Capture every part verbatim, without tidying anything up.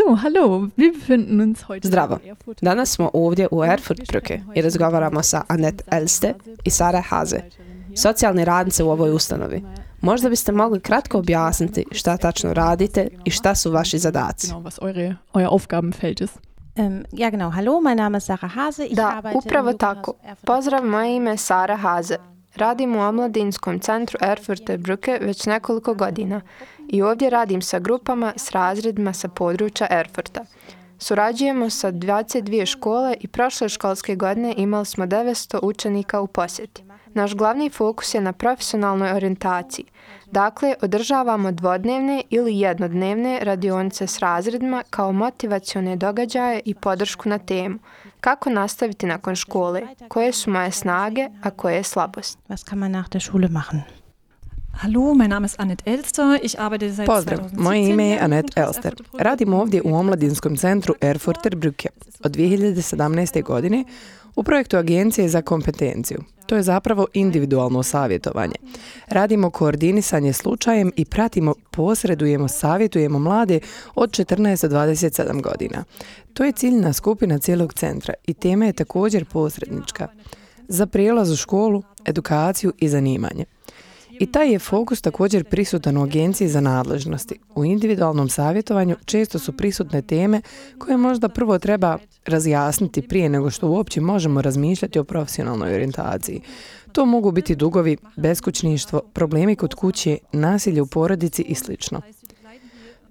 So, hallo, wir befinden uns heute Zdravo. Danas smo ovdje u Erfurtbrücke i razgovaramo sa Annette Elste i Sara Hase, socijalni radnice u ovoj ustanovi. Možda biste mogli kratko objasniti šta tačno radite i šta su vaši zadaci. Was eure, euer Aufgabenfeld ist. Um, ja, genau. Hallo, mein Name ist Sara Hase. Ich Da, arbeite upravo im tako. Jugendamt Pozdrav, moje ime je Sara Hase. Radim u omladinskom centru Erfurtbrücke već nekoliko godina i ovdje radim sa grupama s razredima sa područja Erfurta. Surađujemo sa dvadeset dvije škole i prošle školske godine imali smo devetsto učenika u posjeti. Naš glavni fokus je na profesionalnoj orijentaciji. Dakle, održavamo dvodnevne ili jednodnevne radionice s razredima kao motivacione događaje i podršku na temu. Kako nastaviti nakon škole? Koje su moje snage, a koje je slabost? Was kann man nach der Schule machen? Hallo, mein Name ist Annette Elster. Ich arbeite seit Pozdrav, moje ime je Annette Elster. Radim ovdje u omladinskom centru Erfurtbrücke od dvije hiljade sedamnaeste. godine u projektu Agencije za kompetenciju. To je zapravo individualno savjetovanje. Radimo koordinisanje slučajem i pratimo, posredujemo, savjetujemo mlade od četrnaest do dvadeset sedam godina. To je ciljna skupina cijelog centra i tema je također posrednička za prijelaz u školu, edukaciju i zanimanje. I taj je fokus također prisutan u Agenciji za nadležnosti. U individualnom savjetovanju često su prisutne teme koje možda prvo treba razjasniti prije nego što uopće možemo razmišljati o profesionalnoj orijentaciji. To mogu biti dugovi, beskućništvo, problemi kod kuće, nasilje u porodici i sl.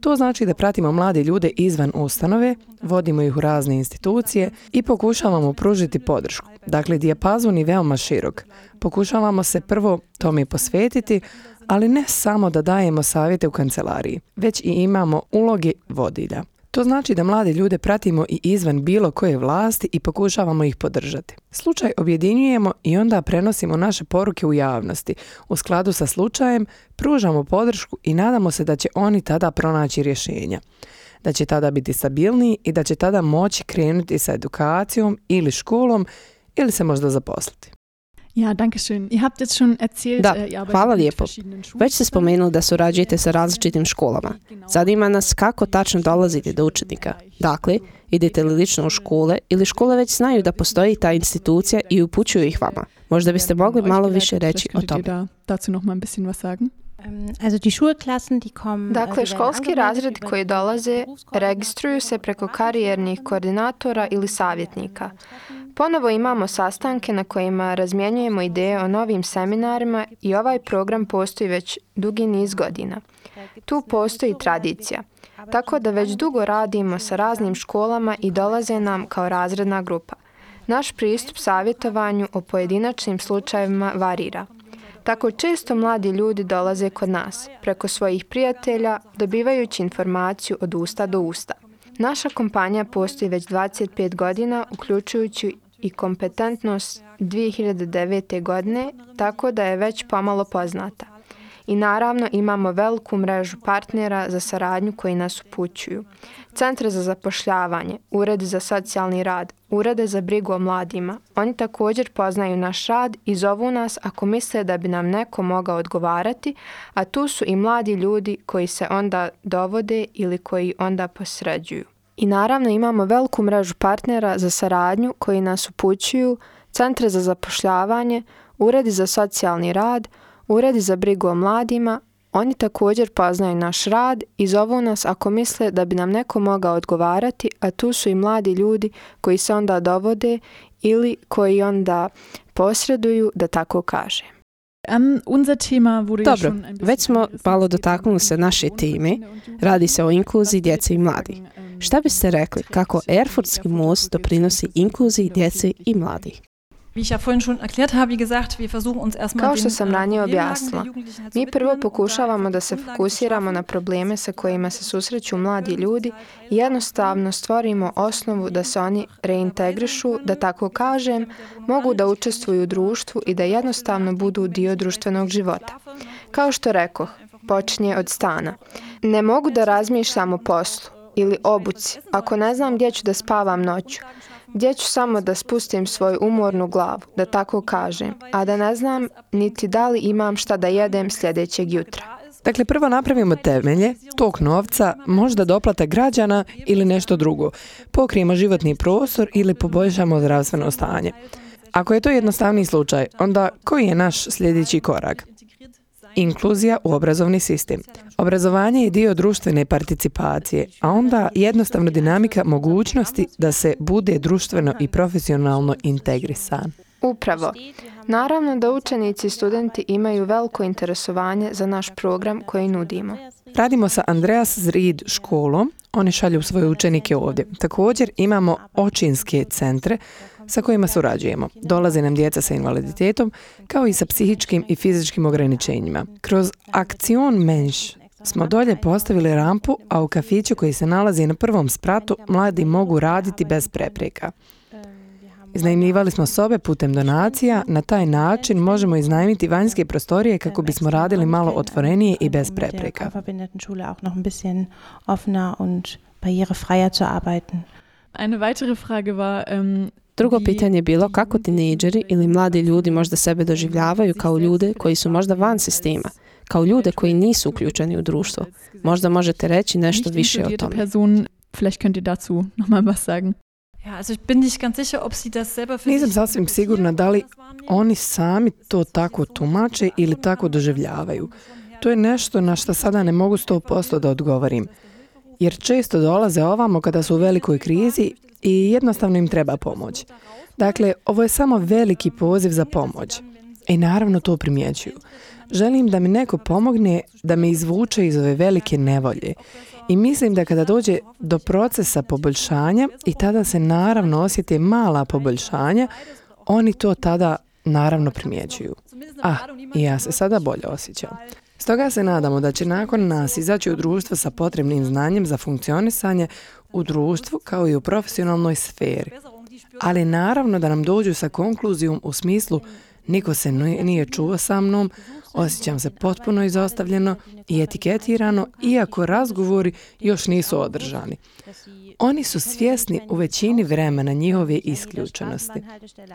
To znači da pratimo mlade ljude izvan ustanove, vodimo ih u razne institucije i pokušavamo pružiti podršku. Dakle, dijapazon je veoma širok. Pokušavamo se prvo tome posvetiti, ali ne samo da dajemo savjete u kancelariji, već i imamo uloge vodilja. To znači da mlade ljude pratimo i izvan bilo koje vlasti i pokušavamo ih podržati. Slučaj objedinjujemo i onda prenosimo naše poruke u javnosti. U skladu sa slučajem pružamo podršku i nadamo se da će oni tada pronaći rješenja. Da će tada biti stabilniji i da će tada moći krenuti sa edukacijom ili školom ili se možda zaposliti. Ja, danke schön. Ihr habt jetzt schon erzählt, Da, ihr arbeitet hvala mit lijepo. verschiedenen Schulen. Već ste spomenuli da surađujete sa različitim školama. Zanima nas kako tačno dolazite do učenika. Dakle, idete li lično u škole ili škole već znaju da postoji ta institucija i upućuju ih vama? Možda biste mogli malo više reći o tome. Da, dazu noch mal ein bisschen was sagen? Um, also die Schulklassen, die kommen... Dakle, školski razredi koji dolaze registruju se preko karijernih koordinatora ili savjetnika. Ponovo imamo sastanke na kojima razmjenjujemo ideje o novim seminarima i ovaj program postoji već dugi niz godina. Tu postoji tradicija, tako da već dugo radimo sa raznim školama i dolaze nam kao razredna grupa. Naš pristup savjetovanju o pojedinačnim slučajevima varira. Tako često mladi ljudi dolaze kod nas, preko svojih prijatelja, dobivajući informaciju od usta do usta. Naša kompanija postoji već dvadeset pet godina, uključujući i kompetentnost dvije hiljade devete. godine, tako da je već pomalo poznata. I naravno imamo veliku mrežu partnera za saradnju koji nas upućuju. Centre za zapošljavanje, uredi za socijalni rad, urede za brigu o mladima. Oni također poznaju naš rad i zovu nas ako misle da bi nam neko mogao odgovarati, a tu su i mladi ljudi koji se onda dovode ili koji onda posređuju. I naravno imamo veliku mrežu partnera za saradnju koji nas upućuju, centre za zapošljavanje, uredi za socijalni rad, uredi za brigu o mladima. Oni također poznaju naš rad i zovu nas ako misle da bi nam neko mogao odgovarati, a tu su i mladi ljudi koji se onda dovode ili koji onda posreduju, da tako kažem. Um, unser Thema wurde ja Dobro, schon ein bisschen već smo malo dotaknuli se naše teme. Radi se o inkluziji djece i mladih. Šta biste rekli kako Erfurtski most doprinosi inkluziji djece i mladih? Wie ich ja vorhin schon erklärt habe, wie gesagt, wir versuchen uns erstmal Kao den, što sam äh, ranije Problemlagen der objasnila, Jugendlichen halt mi zu prvo widmen, pokušavamo da se Grundlagen fokusiramo na schaffen, probleme sa kojima se susreću mladi ljudi i jednostavno stvorimo osnovu da se oni reintegrišu, da tako kažem, mogu da učestvuju u društvu i da jednostavno budu dio društvenog života. Kao što rekoh, počinje od stana. Ne mogu da razmišljam o poslu ili obuci ako ne znam gdje ću da spavam noću. Gdje ću samo da spustim svoju umornu glavu, da tako kažem, a da ne znam niti da li imam šta da jedem sljedećeg jutra. Dakle, prvo napravimo temelje, tok novca, možda doplata građana ili nešto drugo. Pokrijemo životni prostor ili poboljšamo zdravstveno stanje. Ako je to jednostavni slučaj, onda koji je naš sljedeći korak? Inkluzija u obrazovni sistem. Obrazovanje je dio društvene participacije, a onda jednostavno dinamika mogućnosti da se bude društveno i profesionalno integrisan. Upravo. Naravno da učenici i studenti imaju veliko interesovanje za naš program koji nudimo. Radimo sa Andreas Zrid školom, oni šalju svoje učenike ovdje. Također imamo očinske centre sa kojima surađujemo. Dolaze nam djeca sa invaliditetom, kao i sa psihičkim i fizičkim ograničenjima. Kroz Aktion Mensch smo dolje postavili rampu, a u kafiću koji se nalazi na prvom spratu mladi mogu raditi bez prepreka. Iznajmljivali smo sobe putem donacija, na taj način možemo iznajmiti vanjske prostorije kako bismo radili malo otvorenije i bez prepreka. Eine weitere Frage war, um, Drugo pitanje je bilo kako tinejdžeri ili mladi ljudi možda sebe doživljavaju kao ljude koji su možda van sistema, kao ljude koji nisu uključeni u društvo. Možda možete reći nešto više o tome. Person, vielleicht könnt ihr dazu noch mal was sagen. Ja, also ich bin nicht ganz sicher, ob sie das selber für Nisam sasvim sigurna da li oni sami to tako tumače ili tako doživljavaju. To je nešto na što sada ne mogu sto posto da odgovorim. Jer često dolaze ovamo kada su u velikoj krizi i jednostavno im treba pomoć. Dakle, ovo je samo veliki poziv za pomoć. I naravno to primjećuju. Želim da mi neko pomogne da me izvuče iz ove velike nevolje. I mislim da kada dođe do procesa poboljšanja i tada se naravno osjete mala poboljšanja, oni to tada naravno primjećuju. Ah, i ja se sada bolje osjećam. Stoga se nadamo da će nakon nas izaći u društvo sa potrebnim znanjem za funkcionisanje u društvu kao i u profesionalnoj sferi. Ali naravno da nam dođu sa konkluzijom u smislu niko se nije čuo sa mnom, osjećam se potpuno izostavljeno i etiketirano, iako razgovori još nisu održani. Oni su svjesni u većini vremena njihove isključenosti.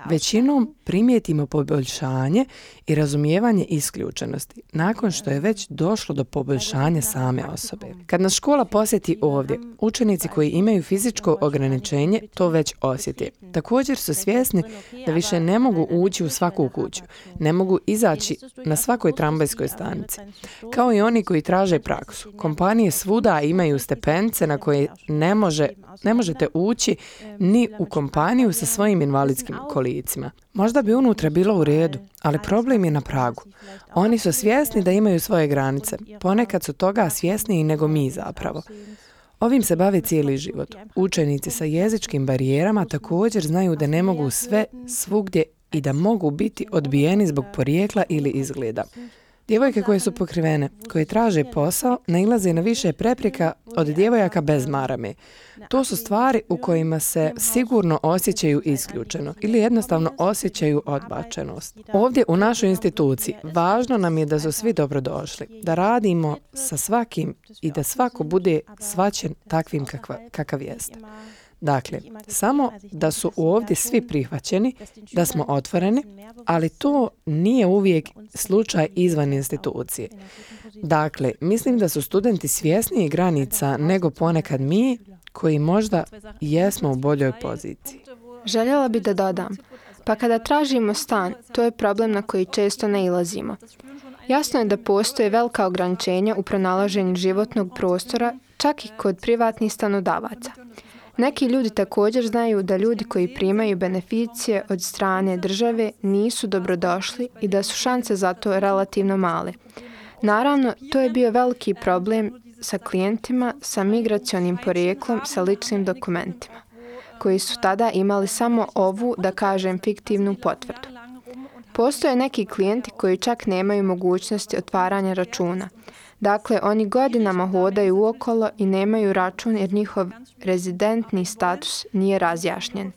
Većinom primijetimo poboljšanje i razumijevanje isključenosti, nakon što je već došlo do poboljšanja same osobe. Kad nas škola posjeti ovdje, učenici koji imaju fizičko ograničenje to već osjete. Također su svjesni da više ne mogu ući u svaku kuću, ne mogu izaći na svakoj tramvajskoj stanici. Kao i oni koji traže praksu. Kompanije svuda imaju stepenice na koje ne može Ne možete ući ni u kompaniju sa svojim invalidskim kolicima. Možda bi unutra bilo u redu, ali problem je na pragu. Oni su svjesni da imaju svoje granice. Ponekad su toga svjesniji nego mi zapravo. Ovim se bave cijeli život. Učenici sa jezičkim barijerama također znaju da ne mogu sve svugdje i da mogu biti odbijeni zbog porijekla ili izgleda. Djevojke koje su pokrivene, koje traže posao, nailaze na više prepreka od djevojaka bez marame. To su stvari u kojima se sigurno osjećaju isključeno ili jednostavno osjećaju odbačenost. Ovdje u našoj instituciji važno nam je da su svi dobrodošli, da radimo sa svakim i da svako bude shvaćen takvim kakva, kakav jeste. Dakle, samo da su ovdje svi prihvaćeni, da smo otvoreni, ali to nije uvijek slučaj izvan institucije. Dakle, mislim da su studenti svjesniji granica nego ponekad mi, koji možda jesmo u boljoj poziciji. Željela bi da dodam, pa kada tražimo stan, to je problem na koji često nailazimo. Jasno je da postoje velika ograničenja u pronalaženju životnog prostora, čak i kod privatnih stanodavaca. Neki ljudi također znaju da ljudi koji primaju beneficije od strane države nisu dobrodošli i da su šanse za to relativno male. Naravno, to je bio veliki problem sa klijentima sa migracionim porijeklom sa ličnim dokumentima, koji su tada imali samo ovu, da kažem, fiktivnu potvrdu. Postoje neki klijenti koji čak nemaju mogućnosti otvaranja računa. Dakle, oni godinama hodaju uokolo i nemaju račun jer njihov rezidentni status nije razjašnjen.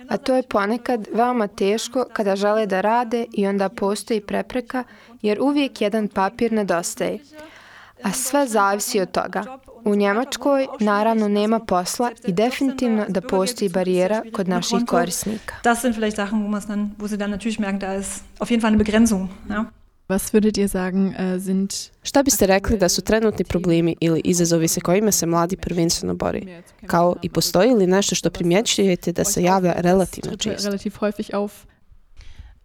A to je ponekad veoma teško kada žele da rade i onda postoji prepreka jer uvijek jedan papir nedostaje. A sve zavisi od toga. U Njemačkoj naravno nema posla i definitivno da postoji barijera kod naših korisnika. Das sind vielleicht Sachen, wo man dann, wo sie dann natürlich merken, da ist auf jeden Fall eine Begrenzung, ja. Was würdet ihr sagen, uh, sind... Šta biste rekli da su trenutni problemi ili izazovi sa kojima se mladi prvenstveno bori? Kao i postoji li nešto što primjećujete da se javlja relativno često?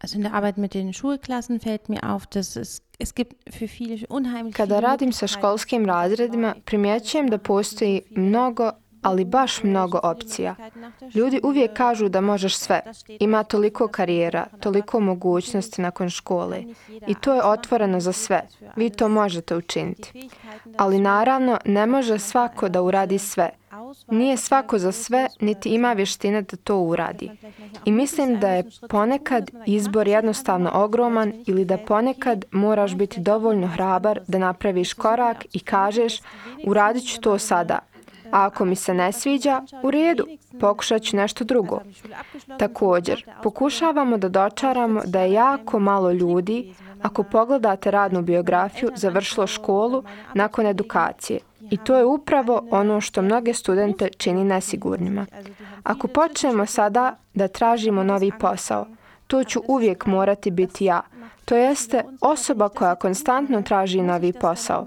Also in der Arbeit mit den Schulklassen fällt mir auf, dass es, es gibt für viele unheimlich Kada radim sa školskim razredima, primjećujem da postoji mnogo, ali baš mnogo opcija. Ljudi uvijek kažu da možeš sve. Ima toliko karijera, toliko mogućnosti nakon škole. I to je otvoreno za sve. Vi to možete učiniti. Ali naravno, ne može svako da uradi sve. Nije svako za sve, niti ima vještine da to uradi. I mislim da je ponekad izbor jednostavno ogroman ili da ponekad moraš biti dovoljno hrabar da napraviš korak i kažeš uradit ću to sada. A ako mi se ne sviđa, u redu, pokušat ću nešto drugo. Također, pokušavamo da dočaramo da je jako malo ljudi, ako pogledate radnu biografiju, završilo školu nakon edukacije. I to je upravo ono što mnoge studente čini nesigurnima. Ako počnemo sada da tražimo novi posao, to ću uvijek morati biti ja. To jeste osoba koja konstantno traži novi posao.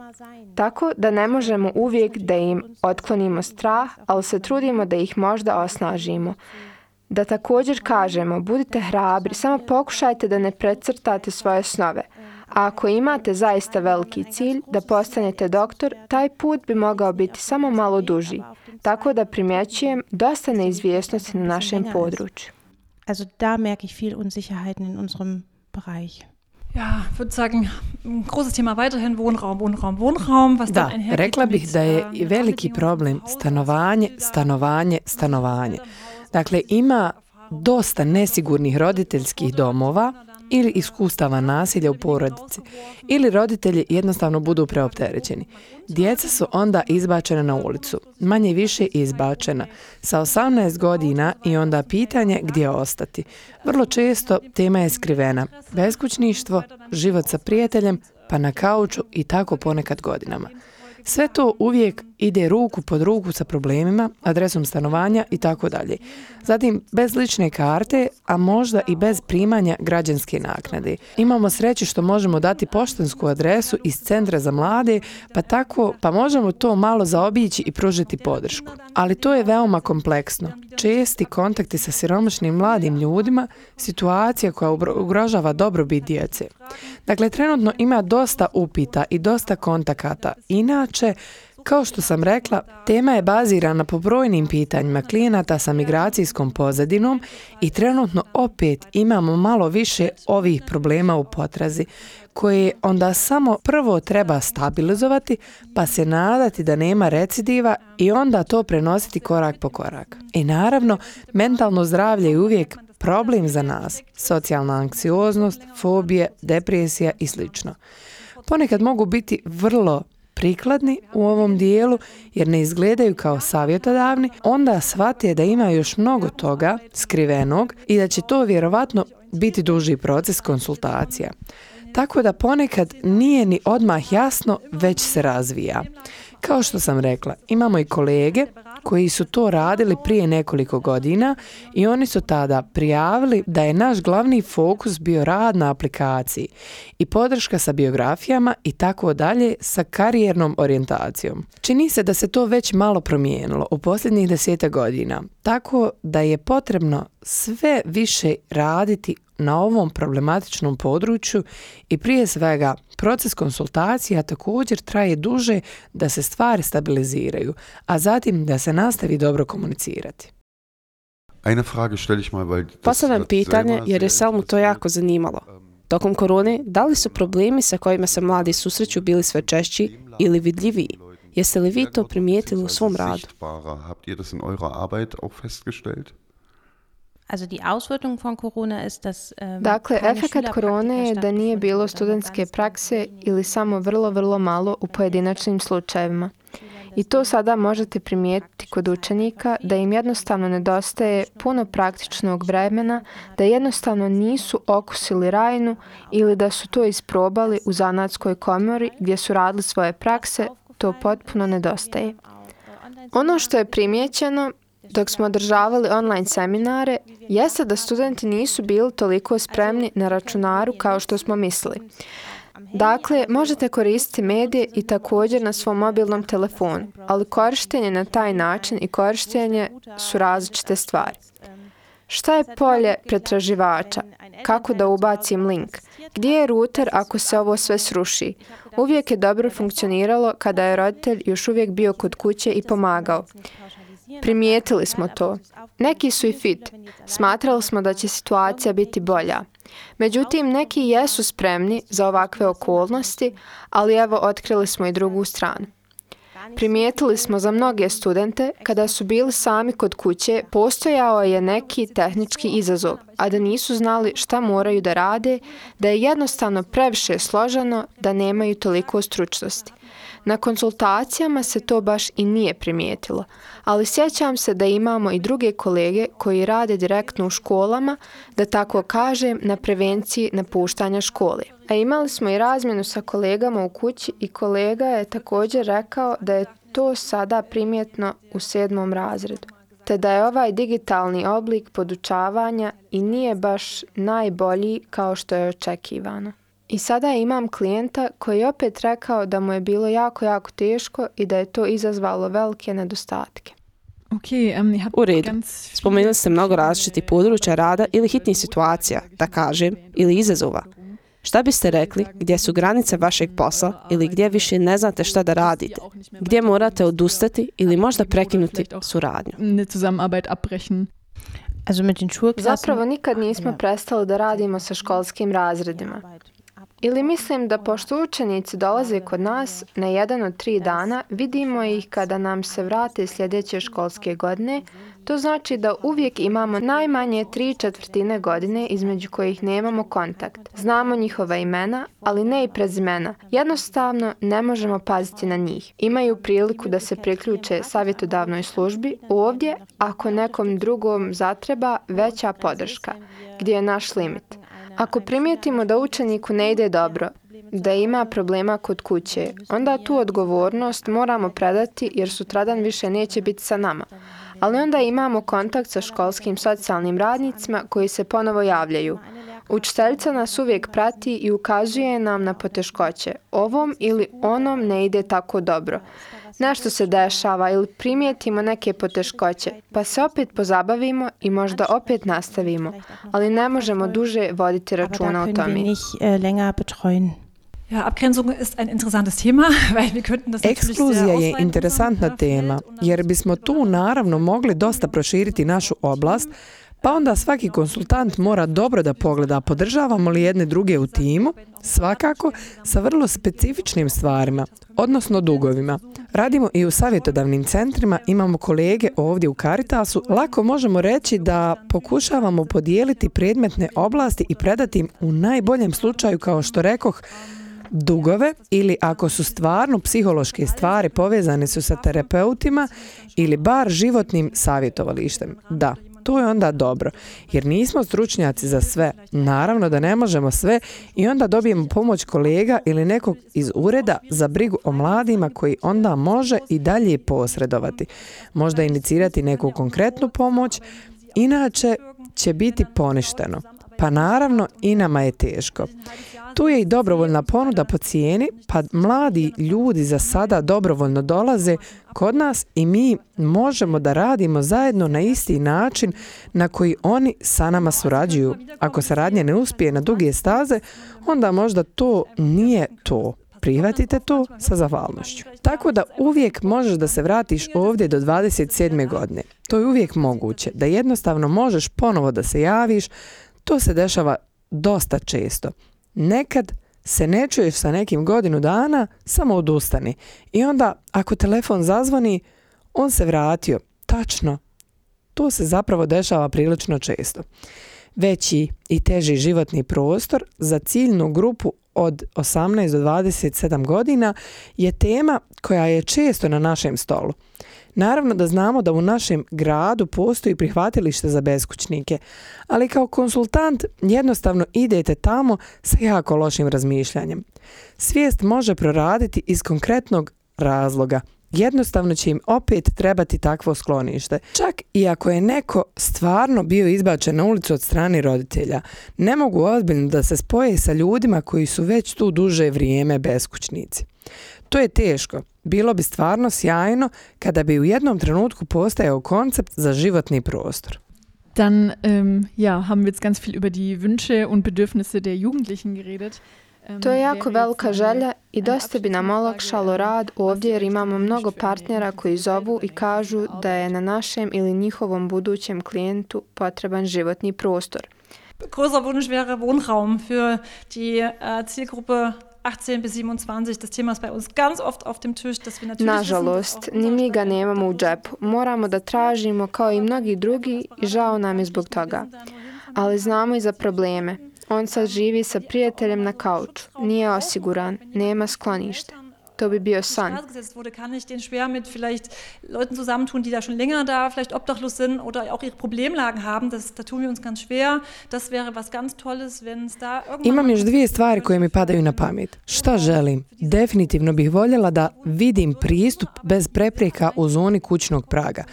Tako da ne možemo uvijek da im otklonimo strah, ali se trudimo da ih možda osnažimo. Da također kažemo, budite hrabri, samo pokušajte da ne precrtate svoje snove. A ako imate zaista veliki cilj da postanete doktor, taj put bi mogao biti samo malo duži. Tako da primjećujem dosta neizvjesnosti na našem području. Also da merke ich viel Unsicherheiten in unserem Bereich. Ja, ich würde sagen, ein großes Thema weiterhin Wohnraum, Wohnraum, Wohnraum. Was da, rekla bih da je veliki problem stanovanje, stanovanje, stanovanje. Dakle, ima dosta nesigurnih roditeljskih domova ili iskustava nasilja u porodici, ili roditelji jednostavno budu preopterećeni. Djeca su onda izbačena na ulicu, manje više izbačena, sa osamnaest godina i onda pitanje gdje ostati. Vrlo često tema je skrivena, beskućništvo, život sa prijateljem, pa na kauču i tako ponekad godinama. Sve to uvijek ide ruku pod ruku sa problemima, adresom stanovanja i tako dalje. Zatim, bez lične karte, a možda i bez primanja građanske naknade. Imamo sreću što možemo dati poštansku adresu iz Centra za mlade, pa tako, pa možemo to malo zaobići i pružiti podršku. Ali to je veoma kompleksno. Česti kontakti sa siromašnim mladim ljudima, situacija koja ugrožava dobrobit djece. Dakle, trenutno ima dosta upita i dosta kontakata. Inače, kao što sam rekla, tema je bazirana po brojnim pitanjima klijenata sa migracijskom pozadinom i trenutno opet imamo malo više ovih problema u potrazi, koje onda samo prvo treba stabilizovati, pa se nadati da nema recidiva i onda to prenositi korak po korak. I naravno, mentalno zdravlje je uvijek problem za nas, socijalna anksioznost, fobije, depresija i sl. Ponekad mogu biti vrlo prikladni u ovom dijelu jer ne izgledaju kao savjetodavni, onda shvate da ima još mnogo toga skrivenog i da će to vjerovatno biti duži proces konsultacija. Tako da ponekad nije ni odmah jasno, već se razvija. Kao što sam rekla, imamo i kolege koji su to radili prije nekoliko godina i oni su tada prijavili da je naš glavni fokus bio rad na aplikaciji i podrška sa biografijama i tako dalje sa karijernom orijentacijom. Čini se da se to već malo promijenilo u posljednjih deseta godina, tako da je potrebno sve više raditi na ovom problematičnom području i prije svega proces konsultacija također traje duže da se stvari stabiliziraju, a zatim da se nastavi dobro komunicirati. Postavljam pitanje jer je Selmu to jako zanimalo. Tokom korone, da li su problemi sa kojima se mladi susreću bili sve češći ili vidljiviji? Jeste li vi to primijetili u svom radu? Also die Auswirkung von Corona ist, dass ähm, Dakle, efekat korone je da nije bilo studentske prakse ili samo vrlo, vrlo malo u pojedinačnim slučajevima. I to sada možete primijetiti kod učenika da im jednostavno nedostaje puno praktičnog vremena, da jednostavno nisu okusili rajnu ili da su to isprobali u zanatskoj komori gdje su radili svoje prakse, to potpuno nedostaje. Ono što je primijećeno dok smo održavali online seminare, jeste da studenti nisu bili toliko spremni na računaru kao što smo mislili. Dakle, možete koristiti medije i također na svom mobilnom telefonu, ali korištenje na taj način i korištenje su različite stvari. Šta je polje pretraživača? Kako da ubacim link? Gdje je router ako se ovo sve sruši? Uvijek je dobro funkcioniralo kada je roditelj još uvijek bio kod kuće i pomagao. Primijetili smo to. Neki su i fit. Smatrali smo da će situacija biti bolja. Međutim, neki jesu spremni za ovakve okolnosti, ali evo otkrili smo i drugu stranu. Primijetili smo za mnoge studente, kada su bili sami kod kuće, postojao je neki tehnički izazov, a da nisu znali šta moraju da rade, da je jednostavno previše složeno, da nemaju toliko stručnosti. Na konsultacijama se to baš i nije primijetilo, ali sjećam se da imamo i druge kolege koji rade direktno u školama, da tako kažem, na prevenciji napuštanja škole. A imali smo i razmjenu sa kolegama u kući i kolega je također rekao da je to sada primjetno u sedmom razredu, te da je ovaj digitalni oblik podučavanja i nije baš najbolji kao što je očekivano. I sada imam klijenta koji je opet rekao da mu je bilo jako, jako teško i da je to izazvalo velike nedostatke. Okay, um, u redu. Spomenuli ste mnogo različitih područja rada ili hitnih situacija, da kažem, ili izazova. Šta biste rekli gdje su granice vašeg posla ili gdje više ne znate šta da radite? Gdje morate odustati ili možda prekinuti suradnju? Zapravo nikad nismo prestali da radimo sa školskim razredima. Ili mislim da pošto učenici dolaze kod nas na jedan od tri dana, vidimo ih kada nam se vrate sljedeće školske godine, to znači da uvijek imamo najmanje tri četvrtine godine između kojih nemamo kontakt. Znamo njihova imena, ali ne i prezimena. Jednostavno ne možemo paziti na njih. Imaju priliku da se priključe savjetodavnoj službi. Ovdje, ako nekom drugom zatreba, veća podrška, gdje je naš limit. Ako primijetimo da učeniku ne ide dobro, da ima problema kod kuće, onda tu odgovornost moramo predati jer sutradan više neće biti sa nama. Ali onda imamo kontakt sa školskim socijalnim radnicima koji se ponovo javljaju. Učiteljica nas uvijek prati i ukazuje nam na poteškoće. Ovom ili onom ne ide tako dobro. Nešto se dešava ili primijetimo neke poteškoće, pa se opet pozabavimo i možda opet nastavimo, ali ne možemo duže voditi računa o tome. Ekskluzija je interesantna tema, jer bismo tu naravno mogli dosta proširiti našu oblast, pa onda svaki konsultant mora dobro da pogleda podržavamo li jedne druge u timu, svakako sa vrlo specifičnim stvarima, odnosno dugovima. Radimo i u savjetodavnim centrima, imamo kolege ovdje u Caritasu, lako možemo reći da pokušavamo podijeliti predmetne oblasti i predati im u najboljem slučaju, kao što rekoh, dugove ili ako su stvarno psihološke stvari povezane su sa terapeutima ili bar životnim savjetovalištem. Da. To je onda dobro, jer nismo stručnjaci za sve. Naravno da ne možemo sve i onda dobijemo pomoć kolega ili nekog iz ureda za brigu o mladima koji onda može i dalje posredovati. Možda inicirati neku konkretnu pomoć, inače će biti poništeno. Pa naravno i nama je teško. Tu je i dobrovoljna ponuda po cijeni, pa mladi ljudi za sada dobrovoljno dolaze kod nas i mi možemo da radimo zajedno na isti način na koji oni sa nama surađuju. Ako saradnja ne uspije na duge staze, onda možda to nije to. Prihvatite to sa zahvalnošću. Tako da uvijek možeš da se vratiš ovdje do dvadeset sedme godine. To je uvijek moguće, da jednostavno možeš ponovo da se javiš. To se dešava dosta često. Nekad se ne čuješ sa nekim godinu dana, samo odustani. I onda, ako telefon zazvoni, on se vratio. Tačno. To se zapravo dešava prilično često. Veći i teži životni prostor za ciljnu grupu od osamnaest do dvadeset sedam godina je tema koja je često na našem stolu. Naravno da znamo da u našem gradu postoji prihvatilište za beskućnike, ali kao konsultant jednostavno idete tamo sa jako lošim razmišljanjem. Svijest može proraditi iz konkretnog razloga. jednostavno će im opet trebati takvo sklonište. Čak i ako je neko stvarno bio izbačen na ulicu od strane roditelja, ne mogu ozbiljno da se spoje sa ljudima koji su već tu duže vrijeme beskućnici. To je teško. Bilo bi stvarno sjajno kada bi u jednom trenutku postajao koncept za životni prostor. Dann ähm, ja, haben wir jetzt ganz viel über die Wünsche und Bedürfnisse der Jugendlichen geredet. To je jako velika želja i dosta bi nam olakšalo rad ovdje jer imamo mnogo partnera koji zovu i kažu da je na našem ili njihovom budućem klijentu potreban životni prostor. Großer Wunsch wäre Wohnraum für die uh, Zielgruppe achtzehn bis siebenundzwanzig. Das Thema ist bei uns ganz oft auf dem Tisch, dass wir natürlich Nažalost, ni mi ga nemamo u džepu. Moramo da tražimo kao i mnogi drugi i žao nam je zbog toga. Ali znamo i za probleme. On sad živi sa prijateljem na kauču. Nije osiguran, nema sklonište. To bi bio san. wurde, kann ich den schwer mit vielleicht Leuten zusammentun, die da schon länger da vielleicht obdachlos sind oder auch ihre Problemlagen haben. Das, da tun wir uns ganz schwer. Das wäre was ganz Tolles, wenn es da irgendwann... Imam još dvije stvari koje mi padaju na pamet. Šta želim? Definitivno bih voljela da vidim pristup bez prepreka u zoni kućnog praga.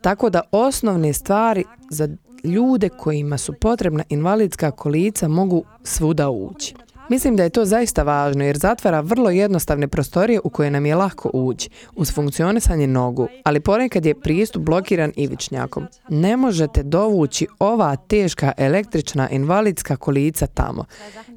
Tako da osnovne stvari za ljude kojima su potrebna invalidska kolica mogu svuda ući. Mislim da je to zaista važno jer zatvara vrlo jednostavne prostorije u koje nam je lako ući, uz funkcionisanje nogu, ali ponekad je pristup blokiran ivičnjakom. Ne možete dovući ova teška električna invalidska kolica tamo.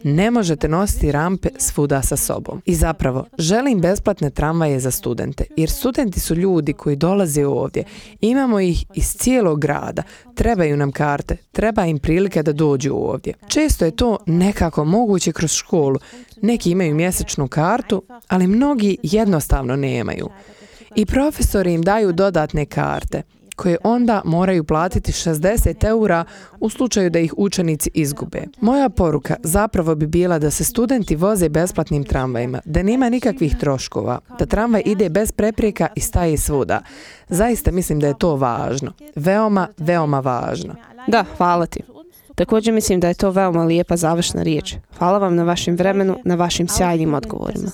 Ne možete nositi rampe svuda sa sobom. I zapravo, želim besplatne tramvaje za studente, jer studenti su ljudi koji dolaze ovdje. Imamo ih iz cijelog grada. Trebaju nam karte, treba im prilike da dođu ovdje. Često je to nekako moguće kroz školu. Neki imaju mjesečnu kartu, ali mnogi jednostavno nemaju. I profesori im daju dodatne karte, koje onda moraju platiti šezdeset eura u slučaju da ih učenici izgube. Moja poruka zapravo bi bila da se studenti voze besplatnim tramvajima, da nema nikakvih troškova, da tramvaj ide bez prepreka i staje svuda. Zaista mislim da je to važno. Veoma, veoma važno. Da, hvala ti. Također mislim da je to veoma lijepa završna riječ. Hvala vam na vašem vremenu, na vašim sjajnim odgovorima.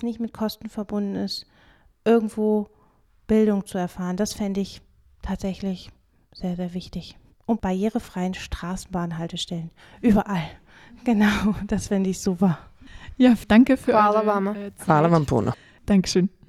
Irgendwo Bildung zu erfahren, das fände ich tatsächlich sehr, sehr wichtig. Und barrierefreien Straßenbahnhaltestellen. Überall. Genau, das fände ich super. Ja, danke für Hvala eure vama. Zeit. Hvala vam puno. Dankeschön.